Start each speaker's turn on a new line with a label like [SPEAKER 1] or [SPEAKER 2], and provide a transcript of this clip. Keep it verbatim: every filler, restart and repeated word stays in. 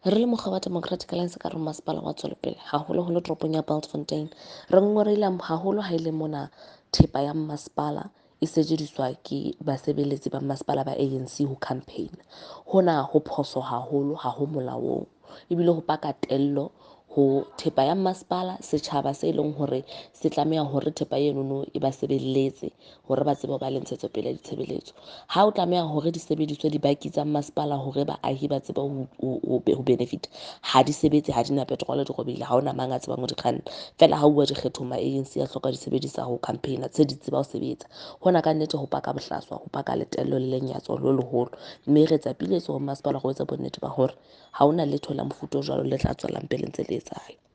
[SPEAKER 1] Re le mokga wa Democratic Alliance ka re masepala wa Tswelopele, haholoholo toropong ya Bultfontein, re ngongorehile haholo ha e le mona thepa ya masepala e sejediswa ke basebeletsi ba masepala ba A N C ho campaign. Hona ho phoso haholo, ha ho molaong, ebile ho paka tello ho thepa ya masepala, setjhaba se leng hore se tlameha hore thepa enono e ba sebeletse hore ba tsebe ho ba le ntshetsopele ya ditshebeletso. Ha o tlameha hore di sebediswe dibaki tsa masepala hore baahi ba tsebe ho, ho, ho, ho benefit, ha di sebetse, ha di na petrol, di robehile, ha hona mang a tsebang ho di kganna. Feela ha uwa dikgethong, ma A N C a hloka di sebedisa ho campaign-a, tse di tseba ho sebetsa. Hona ka nnete ho paka bohlaswa, ho paka letello le lenyatso le leholo, mme re etsa piletso ho masepala ho etsa bonnete ba hore ha hona letho la mofuta o jwalo le tla tswelang pele ntse le etsahala.